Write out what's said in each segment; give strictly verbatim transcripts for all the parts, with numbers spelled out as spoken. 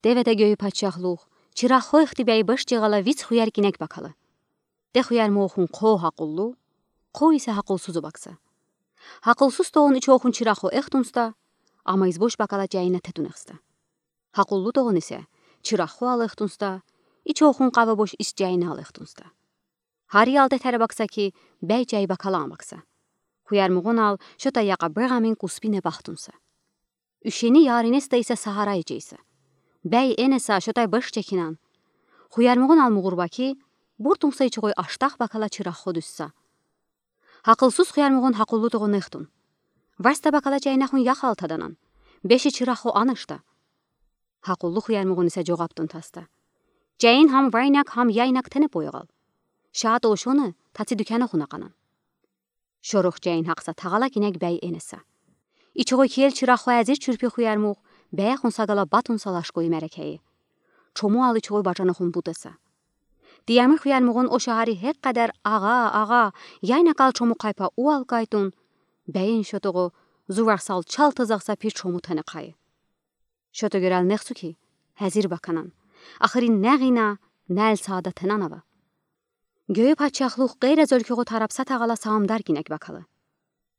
Деведе гёю паччахлух, чыраххо эхты бяй быш чигъала виц хуяр гинек бакала. Тэ хуярмугъухун хо гьакъуллу, хо исе гьакъулсуз обакса. Гьакъулсуз тогъун ичохун чыраххо эх тунста, ама из бош бакала чайына тэ тунехста. Гьакъуллу тогъун исе, чыраххо ал эх тунста, ичохун къавы бош из чайына ал эх тунста. Гьари ал тэ тэрбакса ки, бяй чай бакала амбакса. Хуярмугъун ал шота яка бырамин куспине бахтунса. Уьшени яринесте исе сагьара ичейса. Бяй энеса шотай быш чекинан. Хуярмугъун ал мугъурба ки, буртунса ичогъой аштах бакала чыраххо дуьсса. Гьакъулсуз хуярмугъун гьакъуллу тогъун эх тун. Варста бакала чайнахун яхал таданан. Беши чыраххо анышта. Гьакъуллу хуярмугъун исе жогъаптун таста. Чайин гьам вайнак, гьам яйнак тэне поягъал. Шаат ол шоны, тацы дуькянахун акъанан. Шорух чайин гьакъса тагъала гинек бяй энеса. Ичогъой кел чыраххо азир чурпи хуярмугъ, бяй хун сагала батунса лашкой мярекейи. Чому ал ичогъой бажанахун бутаса. Тиямир хуярмугъун оша гьари гьекъ къадар агъа, агъа, яйнакал чому къайпа уал кайтун, бяйин шотогъо, зуварсал чал тазахса пир чому тэне кайы. Шото гёрал нехсу ки, гьазир баканан. Ахырин нягъина, нал саада тэнан ава. Гёю паччахлух къейре золькугъу тарапса тагъала са амдар гинек бакала.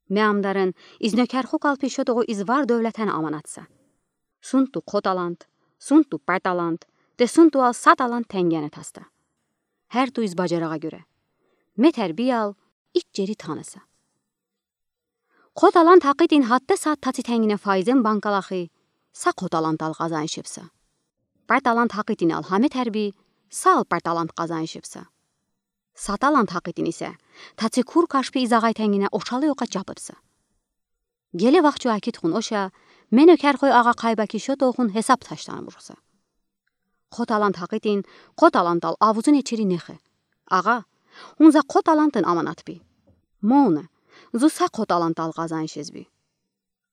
Ме амдарын, из нёкерху калпи шотогъу из вар дёвлетен аманатса. Сунту хо талант, сунту пар талант, тэ сунту ал са талант тенгене таста. Гьер ту из бажарагъа гёре. Ме тэрбиял, ич жери таныса. Хо талант гьакъытин гьатта саат тацы тенгине файзен банкалахи, са хо талантал къазанышыбса. Пар талант гьакъытин ал гьаме тэрби, са ал пар талант къазанышыбса. Са талант гьакъытин исе, тацы кур кашпи из агъай тенгине очалы окъа чапыбса. Геле вахчу акит хун оша, ме нёкерхой агъа къайба ки шотохун гьесап таштан бурса. Хо талант гьакъытин, хо талантал авузун ичери нехе. Агъа, ун за хо талантын аманат би. Моне, зу са хо талантал къазанышыз би.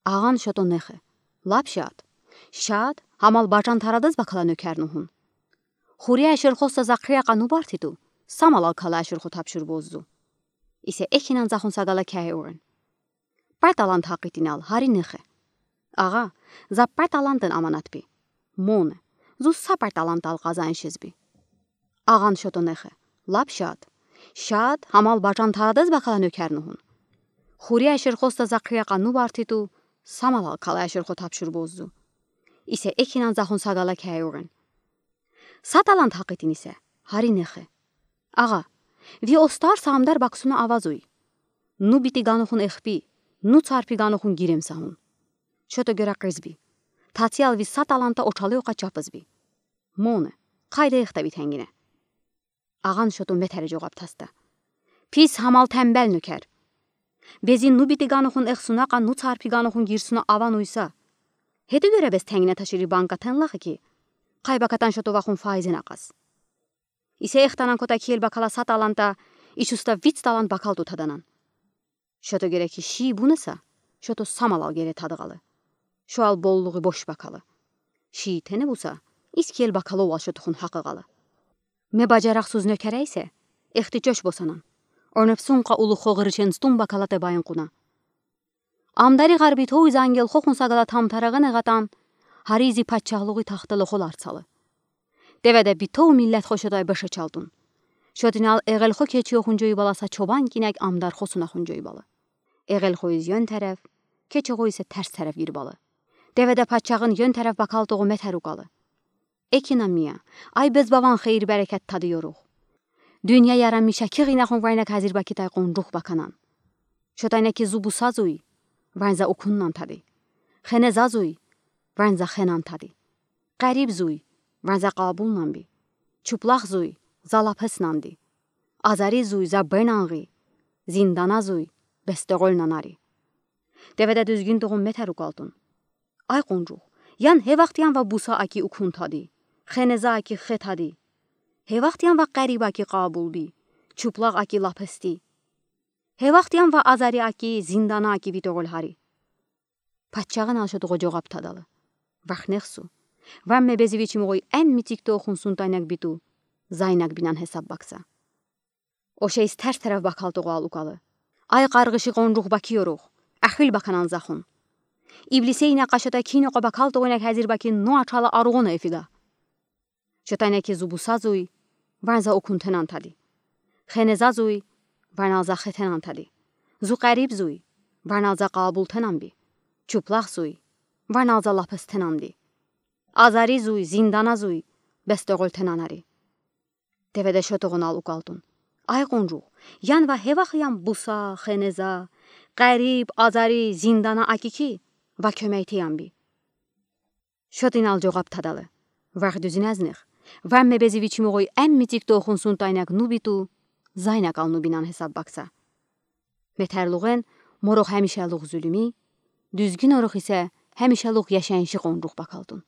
Агъан шото нехе. Лап шад. Шад, гьамал бажан тарадыз бакала нёкер нугъун. Хури ашырхоста за хрякъа нубарти ту, са малал кала ашырхо тапшур боззу. Исе экинан захун сагала кяй урен. Пар талант гьакъытин ал гьари нехе. Агъа, за пар талантын аманат би. Моне, зу са пар талантал къазанышыз би. Агъан шото нехе. Лап шад. Шад, гьамал бажан тарадыз бакала нёкер нугъун. Хури ашырхоста за хрякъа нубарти ту, са малал кала ашырхо тапшур боззу. Исе экинан захун сагала кяй урен. Са талант гьакъытин исе, гьари нехе. Агъа, ви остар са амдар баксуна авазуй. Ну бити ганухун эхпи, ну царпи ганухун гирем са гун. Шото гёра къызби. Тацы ал ви са таланта очалы окъа чапызби. Моне, къайда эхта ви тенгине. Агъан шото ме тэре жогъап таста. Пис гьамал тембел нёкер. Бези ну бити ганухун эхсуна къа ну царпи ганухун гирсуна авануйса. Гьети гёре бес тенгине ташири банка тенлахи ки, къайбакатан шото вахун файзен акъаз. Исе эхтанан кота кел бакала са таланта, ич уста виц талант бакал тутаданан. Шото гере ки ши бунаса, шото са малал гере тадгъалы. Шо ал боллугъи бош бакалы. Ши тенебуса, из кел бакаловал шотохун гьакъыгъалы. Ме бажарахсуз нёкер эсе, эхти чош босанан. Онепсун къа улу хогъырышен стум бакала тэ байн къуна. Амдари гъарби товиз ангел хохун сагала тамтарагъын эгъатан, гьари зи паччагълугъи тахталы холар цалы. Деведе битов миллет хо шотай быш ачалтун. Шотинал эгъелхо кечи охун жойбала са чобан гинек амдар хосуна хун жойбала. Эгъелхо из ён тереф, кечи огъо исе терс тереф гирбала. Деведе паччагъын ён тереф бакал тогъу метер укалы. Экинамия, ай безбаван хейир-берекет тади ёрух. Дуьнья яран мишаки гъинахун вайнак гьазир бакитай къунжух баканан. Шотайна ки зу буса зуй, ванза укуннан тади. Хене за зуй, ванза хенан тади. Къариб зуй, ванза къабулнан би. Чуплах зуй, за лапеснан ди. Азари зуй, за бенан гъи. Зиндана зуй, бес догъолнан ари. Деведе дуьзгюн тогъун метер укалтун. Ай къунжух, ян гье вахт ян ва буса аки укун тади. Хене за аки хе тади. Гье вахт ян ва къариб аки къабул би. Чуплах аки лапес ди. Гье вахт ян ва азари аки, зиндана аки ви догъол гьари. Паччагъын ал шотогъо жогъап тадалы. Вахнехсу. Вамме бези вичим огъой эн мицик тохун сунтайнак биту, зайнак бинан гьесап бакса. Оше из терс тереф бакал тогъу ал укалы. Ай къаргъыши къунжух баки ёрух, ахил баканан захун. Иблисейна къа шота кино къа бакал тогъуйнак гьазир бакин но ачала аругъуна эфига. Чотанеки зу бусазуй, варнза окунтенан тади. Хенезазуй, варналза хетенан тади. Зу къарибзуй, варналза къаабултенан би. Чуплахзуй, варналза лапестенанди. Азаризуй, зинданазуй, бес тёгелтенан ари. Деведе шо тоғунал укалтун. Ай къунжух, янва хевах ям буса, хенеза, къариб, азари, зиндана аки ки, ва кёмейте ям би. Шод инал жоғаб тадале. Варх дуьзинезнех. Варме бези вичмуғуй эмми цик тохун сунтайнак нубиту, зайнакал нубинан хесаб бакса. Метарлуғен морох гемишалуғ зулуми, дуьзгюн орох исе гемишалуғ яшайыншы къунжух бакалтун.